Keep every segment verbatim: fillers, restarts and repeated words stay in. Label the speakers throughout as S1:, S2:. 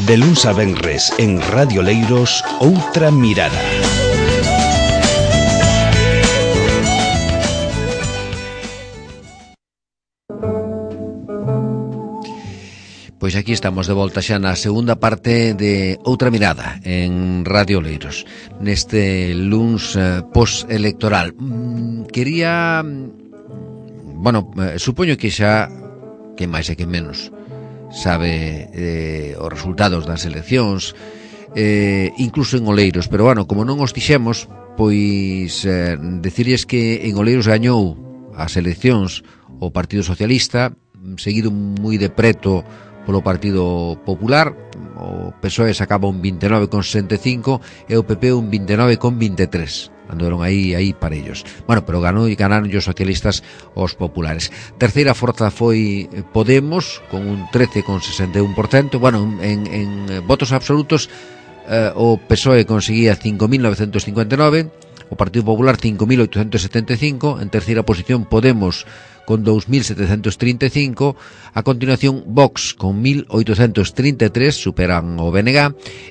S1: De luns a venres en Radio Leiros, Outra Mirada.
S2: Pois aquí estamos de volta xa na segunda parte de Outra Mirada en Radio Leiros, neste luns eh, post-electoral. Mm, quería... Bueno, eh, supoño que xa, que máis e que menos, sabe eh, os resultados das eleccións, eh, incluso en Oleiros, pero bueno, como non os dixemos, pois eh, decirles que en Oleiros gañou as eleccións o Partido Socialista, seguido moi de preto polo Partido Popular. O P S O E sacaba un vinte e nove con sesenta e cinco e o P P un vinte e nove con vinte e tres. Andaron aí aí parellos. Bueno, pero ganou e ganaron os socialistas os populares. Terceira forza foi Podemos con un trece con sesenta e un por cento. Bueno, en, en votos absolutos eh, o P S O E conseguía cinco mil novecentos cincuenta e nove, o Partido Popular cinco mil oitocentos setenta e cinco, en terceira posición Podemos con dous mil setecentos trinta e cinco, a continuación Vox con mil oitocentos trinta e tres, superan o B N G,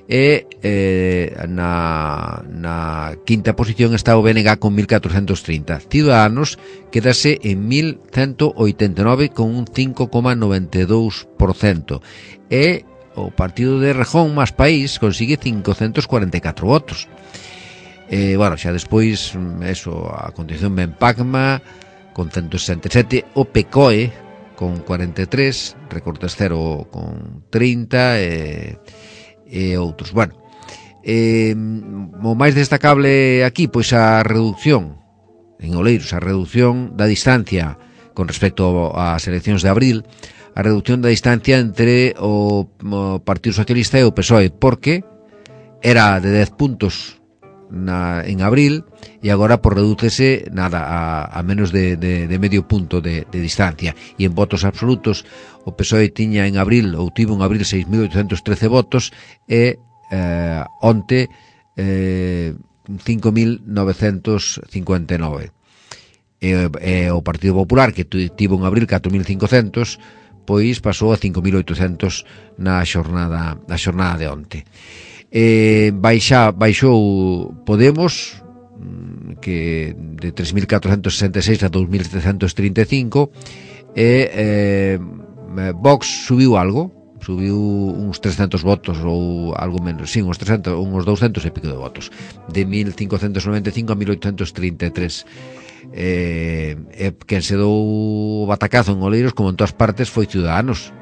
S2: e eh, na, na quinta posición está o B N G con mil catrocentos trinta. Ciudadanos quedase en mil ciento oitenta e nove con un cinco coma noventa e dous por cento, e o Partido de Rejón Más País consigue cincocentos cuarenta e catro votos. E, bueno, xa despois, eso, a continuación ben Pacma con ciento sesenta e sete, o P C O E con cuarenta e tres, Recortes Cero con trinta e, e outros. Bueno, eh, o máis destacable aquí, pois a reducción en Oleiros, a reducción da distancia con respecto ás eleccións de abril, a reducción da distancia entre o, o Partido Socialista e o P S O E, porque era de dez puntos Na, en abril, e agora por redúcese nada a, a menos de, de, de medio punto de, de distancia. E en votos absolutos o P S O E tiña en abril, ou tivo en abril seis mil oitocentos trece votos, e eh, onte eh, cinco mil novecentos cincuenta e nove. E, e o Partido Popular, que tivo en abril catro mil cincocentos, pois pasou a cinco mil oitocentos na xornada, na xornada de onte. Eh, baixa, baixou Podemos, que de tres mil catrocentos sesenta e seis a dous mil setecientos trinta e cinco, e eh, Vox subiu algo, subiu uns trescentos votos ou algo menos, sí, uns trescentos, uns douscentos e pico de votos, de mil cincocentos noventa e cinco a mil oitocentos trinta e tres. Eh, eh, quen se dou o batacazo en Oleiros, como en todas partes, foi Ciudadanos,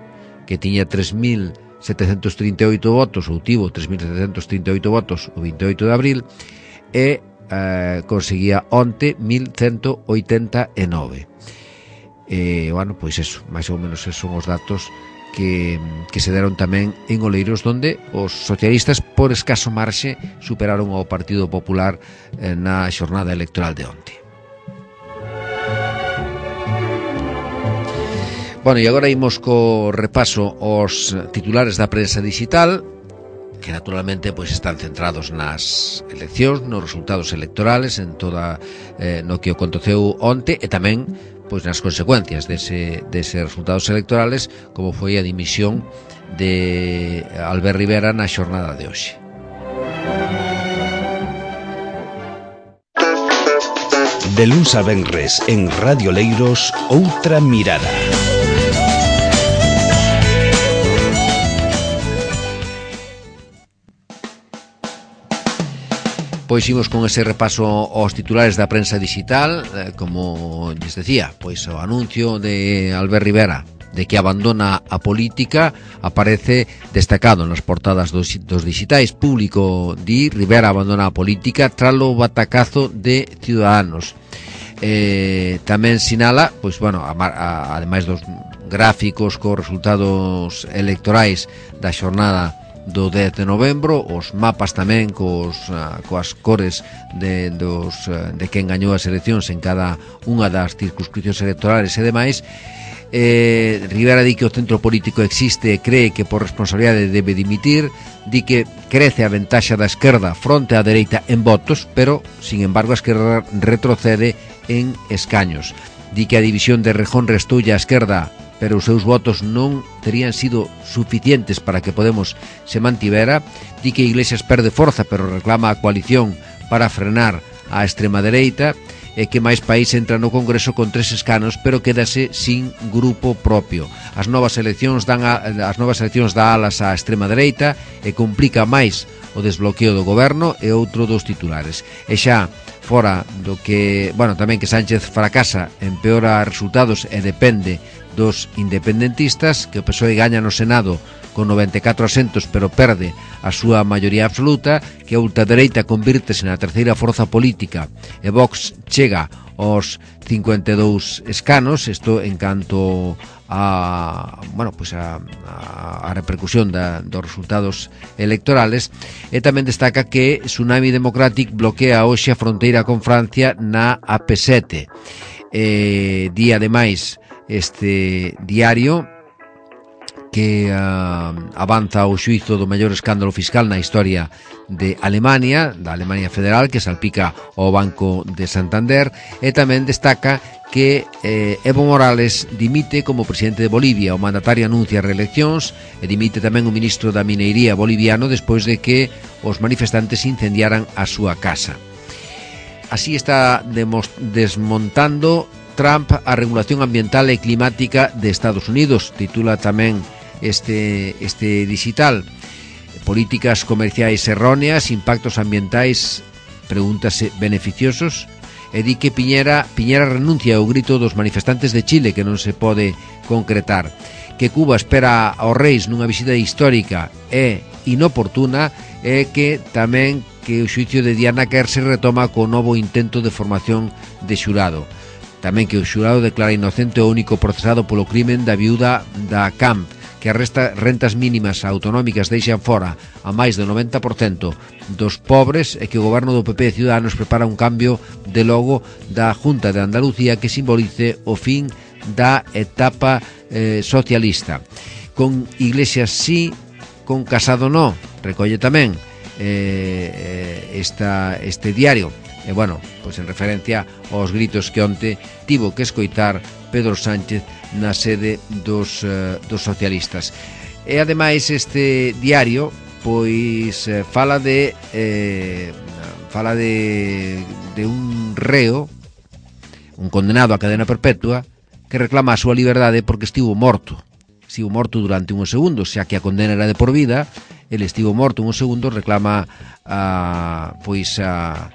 S2: que tiña tres mil setecentos trinta e oito votos, ou tivo tres mil setecentos trinta e oito votos o vinte e oito de abril, e eh, conseguía onte mil ciento oitenta e nove. E, bueno, pois eso, máis ou menos esos son os datos que, que se deron tamén en Oleiros, donde os socialistas, por escaso marxe, superaron ao Partido Popular eh, na xornada electoral de onte. Bueno, e agora imos co repaso aos titulares da prensa digital, que naturalmente pois están centrados nas eleccións, nos resultados electorales, en toda eh, no que aconteceu onte, e tamén pois nas consecuencias dese, dese resultados electorales, como foi a dimisión de Albert Rivera na xornada de hoxe.
S1: De luns a venres en Radio Leiros, Outra Mirada.
S2: Pois imos con ese repaso aos titulares da prensa digital, eh, como lles decía, pois o anuncio de Albert Rivera de que abandona a política aparece destacado nas portadas dos, dos digitais. Público di Rivera abandona a política tralo batacazo de Ciudadanos. Eh, tamén sinala, pois bueno, a, a, ademais dos gráficos cos resultados electorais da xornada do dez de novembro, os mapas tamén cos, uh, coas cores de, dos, uh, de quen gañou as eleccións en cada unha das circunscripcións electorales e demais. eh, Rivera di que o centro político existe e cree que por responsabilidade debe dimitir, di que crece a ventaxa da esquerda fronte á dereita en votos, pero, sin embargo, a esquerda retrocede en escaños. Di que a división de Rejón restoulle a esquerda pero os seus votos non terían sido suficientes para que Podemos se mantivera. Di que Iglesias perde forza, pero reclama a coalición para frenar a extrema dereita, e que máis país entra no Congreso con tres escanos, pero quédase sin grupo propio. As novas eleccións dan a, as novas eleccións dá alas á extrema dereita e complica máis o desbloqueo do goberno e outro dos titulares. E xa fora do que, bueno, tamén que Sánchez fracasa, empeora resultados e depende dos independentistas, que o P S O E gaña no Senado con noventa e catro asentos, pero perde a súa maioría absoluta, que a ultradereita convírtese na terceira forza política e Vox chega aos cincuenta e dous escanos. Isto en canto a, bueno, pues a, a, a repercusión da, dos resultados electorales. E tamén destaca que Tsunami Democratic bloquea hoxe a fronteira con Francia na A P sete. Eh, di ademais este diario que uh, avanza o xuízo do maior escándalo fiscal na historia de Alemania, da Alemania Federal, que salpica o Banco de Santander, e tamén destaca que eh, Evo Morales dimite como presidente de Bolivia. O mandatario anuncia reeleccións e dimite tamén o ministro da Mineiría boliviano despois de que os manifestantes incendiaran a súa casa. Así está desmontando Trump a regulación ambiental e climática de Estados Unidos, titula tamén este, este digital. Políticas comerciais erróneas, impactos ambientais, pregúntase, beneficiosos. E di que Piñera, Piñera renuncia ao grito dos manifestantes de Chile, que non se pode concretar. Que Cuba espera aos reis nunha visita histórica e inoportuna, e que tamén que o xuicio de Diana Kerr se retoma co novo intento de formación de xurado. Tamén que o xurado declara inocente o único procesado polo crimen da viúda da Camp, que arresta rentas mínimas autonómicas deixan fora a máis do noventa por cento dos pobres, e que o goberno do P P e Ciudadanos prepara un cambio de logo da Junta de Andalucía que simbolice o fin da etapa eh, socialista. Con Iglesias sí, con Casado no, recolle tamén eh, esta, este diario. E, bueno, pois en referencia aos gritos que onte tivo que escoitar Pedro Sánchez na sede dos, uh, dos socialistas. E, ademais, este diario pois eh, fala de eh, fala de, de un reo, un condenado a cadena perpetua, que reclama a súa liberdade porque estivo morto. Estivo morto durante uns segundos, xa que a condena era de por vida, ele estivo morto uns segundos, reclama a, pois a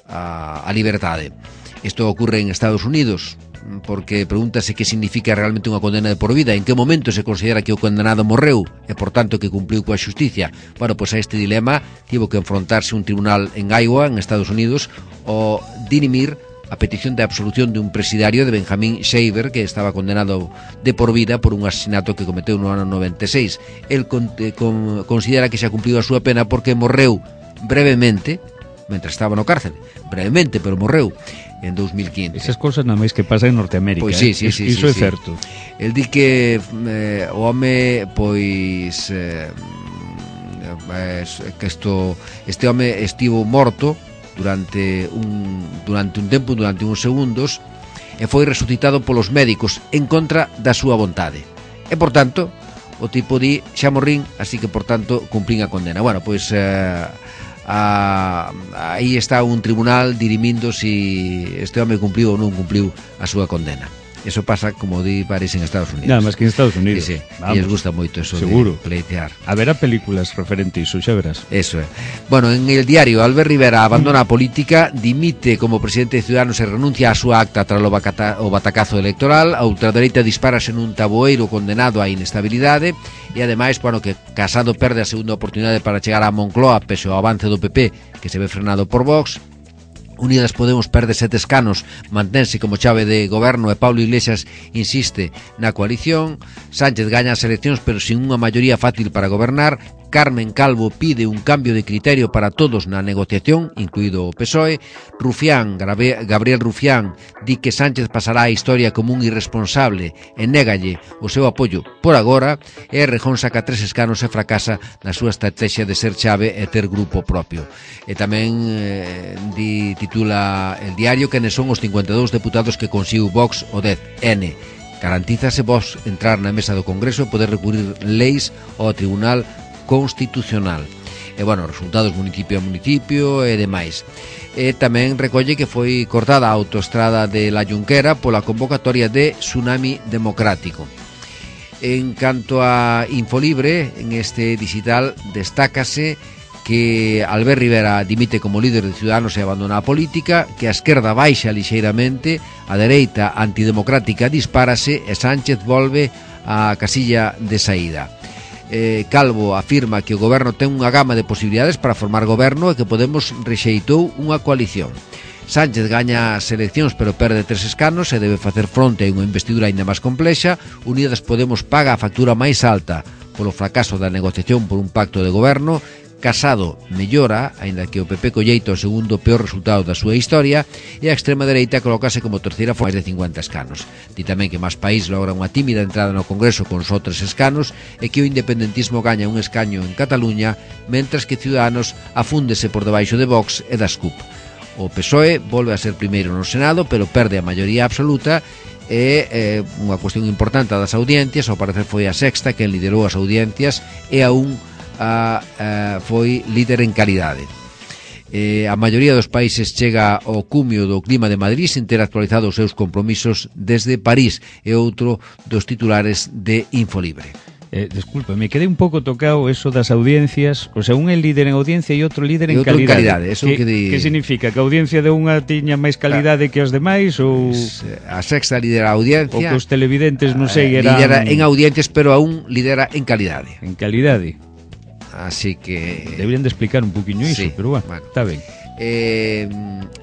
S2: a, a liberdade. Isto ocorre en Estados Unidos, porque pregúntase que significa realmente unha condena de por vida, en que momento se considera que o condenado morreu e, por tanto, que cumpliu coa xusticia. Bueno, pois a este dilema tivo que enfrontarse un tribunal en Iowa, en Estados Unidos, o dirimir a petición de absolución de un presidario de Benjamin Shaver, que estaba condenado de por vida por un asesinato que cometeu no ano noventa e seis. El con, con, considera que xa cumpliu a súa pena porque morreu brevemente mentre estaba no cárcel, brevemente, pero morreu en dos mil quince.
S3: Esas cousas nada máis que pasa en Norteamérica.
S2: Pois sí, sí,
S3: eh?
S2: sí,
S3: Iso
S2: sí,
S3: é
S2: sí.
S3: certo.
S2: El di que eh, o home pois eh, que isto, este home estivo morto durante un durante un tempo, durante uns segundos, e foi resucitado polos médicos en contra da súa vontade. E, por tanto, o tipo di xa morrín, así que, por tanto, cumplín a condena. Bueno, pois eh, a, aí está un tribunal dirimindo si este home cumpliu ou non cumpliu a súa condena. Eso pasa, como di París, en Estados Unidos.
S3: Nada máis que en Estados Unidos.
S2: Sí, sí. E les gusta moito eso.
S3: Seguro.
S2: De pleitear.
S3: Haberá películas referente a iso, xa verás.
S2: Eso é. Bueno, en el diario, Albert Rivera abandona a política, dimite como presidente de Ciudadanos e renuncia a súa acta tras o, bacata, o batacazo electoral. A ultradereita dispárase nun taboeiro condenado á inestabilidade. E, ademais, bueno, que Casado perde a segunda oportunidade para chegar a Moncloa pese ao avance do P P, que se ve frenado por Vox. Unidas Podemos perde sete escanos, mantense como chave de goberno e Pablo Iglesias insiste na coalición. Sánchez gaña as eleccións pero sin unha maioría fácil para gobernar. Carmen Calvo pide un cambio de criterio para todos na negociación, incluído o P S O E. Rufián, Gabriel Rufián, di que Sánchez pasará a historia como un irresponsable e négalle o seu apoio por agora. E Rejón saca tres escanos e fracasa na súa estrategia de ser chave e ter grupo propio. E tamén eh, di, titula el diario que son os cincuenta e dous deputados que consigo Vox o dez N. garantízase vos entrar na mesa do Congreso e poder recurrir leis ao Tribunal Constitucional. E, bueno, resultados municipio a municipio e demais. E tamén recolle que foi cortada a autoestrada de La Junquera pola convocatoria de Tsunami Democrático. En canto a Infolibre, en este digital destácase que Albert Rivera dimite como líder de Ciudadanos e abandona a política, que a esquerda baixa lixeiramente, a dereita antidemocrática dispárase e Sánchez volve á casilla de saída. Eh, Calvo afirma que o goberno ten unha gama de posibilidades para formar goberno e que Podemos rexeitou unha coalición. Sánchez gaña as eleccións pero perde tres escanos e debe facer fronte a unha investidura aínda máis complexa. Unidas Podemos paga a factura máis alta polo fracaso da negociación por un pacto de goberno. Casado mellora, aínda que o P P colleita o segundo peor resultado da súa historia, e a extrema dereita colócase como terceira con máis de cincuenta escanos. Di tamén que Más País logra unha tímida entrada no Congreso con só tres escanos e que o independentismo gaña un escaño en Cataluña, mentras que Ciudadanos afúndese por debaixo de Vox e das C U P. O P S O E volve a ser primeiro no Senado, pero perde a maioría absoluta e eh, unha cuestión importante das audiencias, ao parecer foi a Sexta quen liderou as audiencias e aún A, a, foi líder en calidade. Eh, a maioría dos países chega ao cumio do clima de Madrid sin ter actualizado os seus compromisos desde París, e outro dos titulares de Infolibre.
S3: Eh, disculpa, me quedé un pouco tocado eso das audiencias, o sea, un é líder en audiencia e outro líder en
S2: outro
S3: calidade.
S2: En calidade eso
S3: que,
S2: que, di...
S3: que significa? Que a audiencia de unha tiña máis calidade que as demais ou
S2: a Sexta lidera a audiencia,
S3: ou que os televidentes non sei
S2: eran... lidera en audiencias, pero aún lidera en calidade.
S3: En calidade.
S2: Así que...
S3: Deberían de explicar un poquinho iso,
S2: sí,
S3: pero bueno,
S2: bueno,
S3: está ben.
S2: Eh,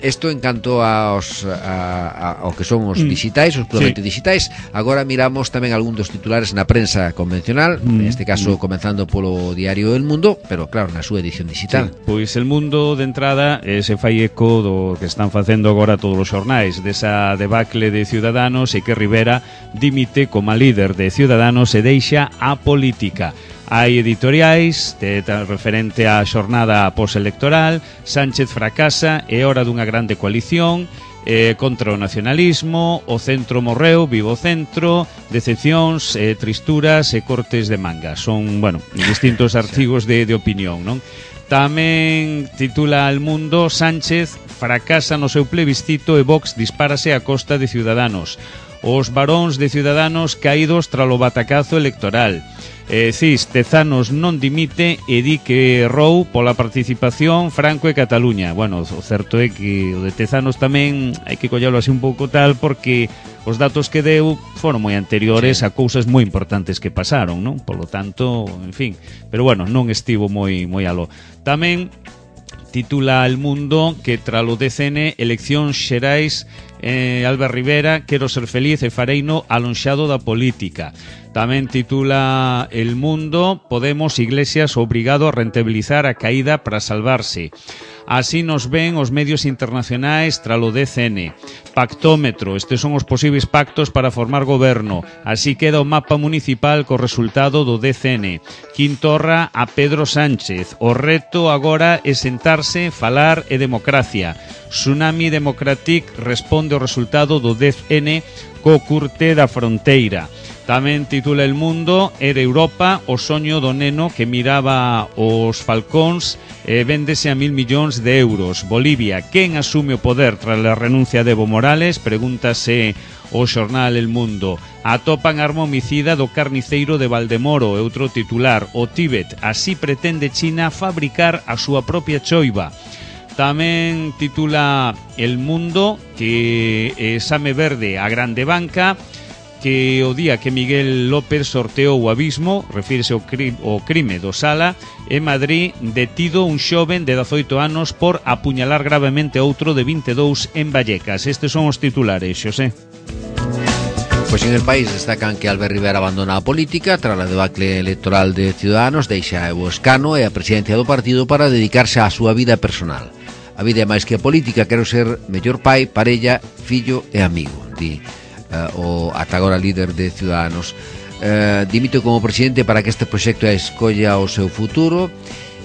S2: esto en canto aos, a, a, ao que son os mm. digitais, os puramente sí. digitais. Agora miramos tamén algún dos titulares na prensa convencional, mm. neste caso mm. comenzando polo diario El Mundo, pero claro, na súa edición digital.
S3: Sí. Pois El Mundo de entrada eh, se fai eco do que están facendo agora todos os xornais, desa debacle de Ciudadanos e que Rivera dimite como líder de Ciudadanos e deixa a política. Hai editoriais de, de, referente á xornada postelectoral. Sánchez fracasa, é hora dunha grande coalición eh, contra o nacionalismo, o centro morreu, vivo centro, decepcións, eh, tristuras e cortes de manga. Son, bueno, distintos artigos de, de opinión, non? Tamén titula El Mundo: Sánchez fracasa no seu plebiscito e Vox dispárase a costa de Ciudadanos. Os varóns de Ciudadanos caídos tralo batacazo electoral. Eh, Cis, Tezanos non dimite e di que errou pola participación Franco e Cataluña. Bueno, o certo é que o de Tezanos tamén hai que collalo así un pouco tal, porque os datos que deu foron moi anteriores sí. a cousas moi importantes que pasaron, non? Polo tanto, en fin, pero bueno, non estivo moi moi aló. Tamén titula El Mundo que tralo D C N eleccións xerais, eh, Albert Rivera: quero ser feliz e fareino alonxado da política. Tamén titula El Mundo: Podemos Iglesias obrigado a rentabilizar a caída para salvarse. Así nos ven os medios internacionais tralo D C N. Pactómetro: estes son os posibles pactos para formar goberno. Así queda o mapa municipal co resultado do D C N. Quintorra a Pedro Sánchez: o reto agora é sentarse, falar e democracia. Tsunami Democratic responde ao resultado do D C N co curte da fronteira. Tamén titula El Mundo: era Europa o soño do neno que miraba os falcóns e véndese a mil millóns de euros. Bolivia: quen asume o poder tras a renuncia de Evo Morales? Pregúntase o xornal El Mundo. Atopan arma homicida do carniceiro de Valdemoro. E outro titular: o Tíbet: así pretende China fabricar a súa propia choiva. Tamén titula El Mundo que exame verde a grande banca, que o día que Miguel López sorteou o abismo, refírese ao crime, ao crime do Sala, en Madrid detido un xoven de dezaoito anos por apuñalar gravemente outro de vinte e dous en Vallecas. Estes son os titulares, Xosé.
S2: Pois en El País destacan que Albert Rivera abandona a política tras a debacle electoral de Ciudadanos, deixa o escano e a presidencia do partido para dedicarse á súa vida personal. A vida é máis que a política, quero ser mellor pai, parella, fillo e amigo, di Uh, o ata agora líder de Ciudadanos. Uh, dimito como presidente para que este proxecto escolla o seu futuro.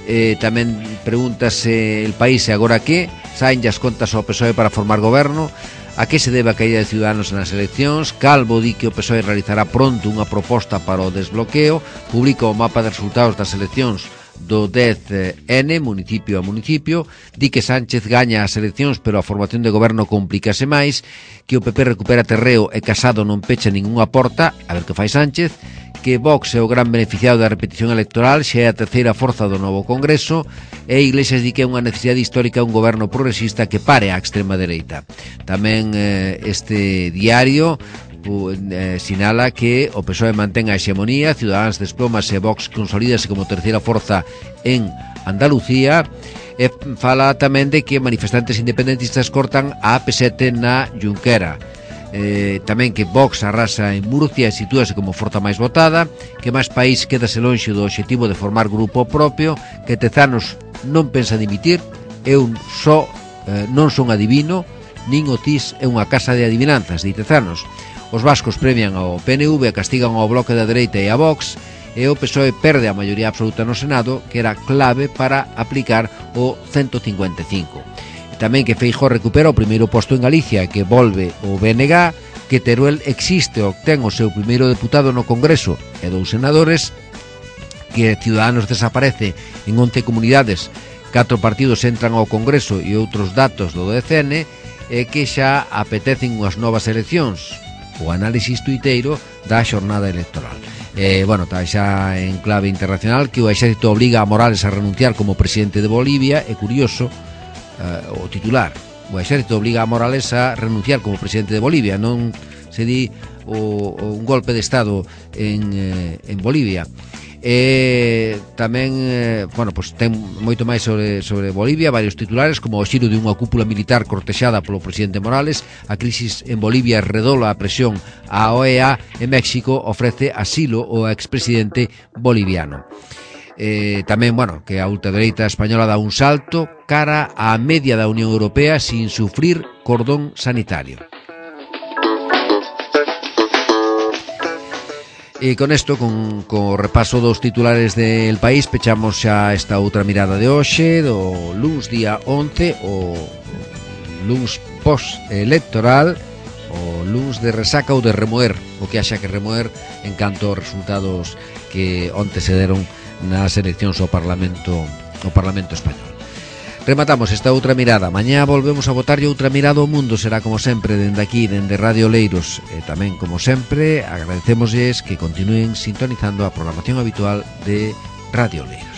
S2: Eh, tamén pregúntase El País: e agora que? Saen as contas ao P S O E para formar goberno. A que se debe a caída de Ciudadanos nas eleccións? Calvo di que o P S O E realizará pronto unha proposta para o desbloqueo. Publica o mapa de resultados das eleccións do dez ene, municipio a municipio. Di que Sánchez gaña as eleccións, pero a formación de goberno complícase máis. Que o P P recupera terreo e Casado non pecha ningunha porta. A ver que fai Sánchez. Que Vox é o gran beneficiado da repetición electoral, xa é a terceira forza do novo Congreso, e Iglesias di que é unha necesidade histórica un goberno progresista que pare a extrema dereita. Tamén eh, este diario eh, sinala que o P S O E mantén a hexemonía, Ciudadanos desplomase e Vox consolídase como terceira forza en Andalucía, e fala tamén de que manifestantes independentistas cortan a A P sete na Junquera. Eh, tamén que Vox arrasa en Murcia e sitúase como forza máis votada, que máis país quedase lonxe do obxectivo de formar grupo propio, que Tezanos non pensa dimitir, eu só eh, non son adivino, nin o T I S é unha casa de adivinanzas, di Tezanos. Os vascos premian ao P N V, castigan ao bloque da dereita e a Vox, e o P S O E perde a maioría absoluta no Senado, que era clave para aplicar o ciento cincuenta e cinco. Tamén que Feijóo recupera o primeiro posto en Galicia, que volve o B N G, que Teruel existe, obtén o seu primeiro deputado no Congreso e dous senadores, que Ciudadanos desaparece en once comunidades, catro partidos entran ao Congreso e outros datos do dez ene, e que xa apetecen unhas novas eleccións. O análisis tuiteiro da xornada electoral. Eh, bueno, está xa en clave internacional que o exército obliga a Morales a renunciar como presidente de Bolivia. É curioso, Uh, o titular, o exército obliga a Morales a renunciar como presidente de Bolivia, non se di o, o un golpe de estado en, eh, en Bolivia. E tamén eh, bueno, pues ten moito máis sobre, sobre Bolivia, varios titulares, como o xiro de unha cúpula militar cortexada polo presidente Morales, a crisis en Bolivia redola a presión á O E A, e México ofrece asilo ao expresidente boliviano. Eh, tamén, bueno, que a ultradereita española dá un salto cara á media da Unión Europea sin sufrir cordón sanitario. E con isto, con, con o repaso dos titulares del país, pechamos xa esta outra mirada de hoxe, do luns día once, o luns post-electoral, o luns de resaca ou de remoer, o que haxa que remoer en canto aos resultados que onte se deron nas eleccións ao Parlamento ao Parlamento Español. Rematamos esta outra mirada. Mañá volvemos a botarlle outra mirada ao mundo. Será como sempre dende aquí, dende Radio Leiros. E tamén, como sempre, agradecémosles que continúen sintonizando a programación habitual de Radio Leiros.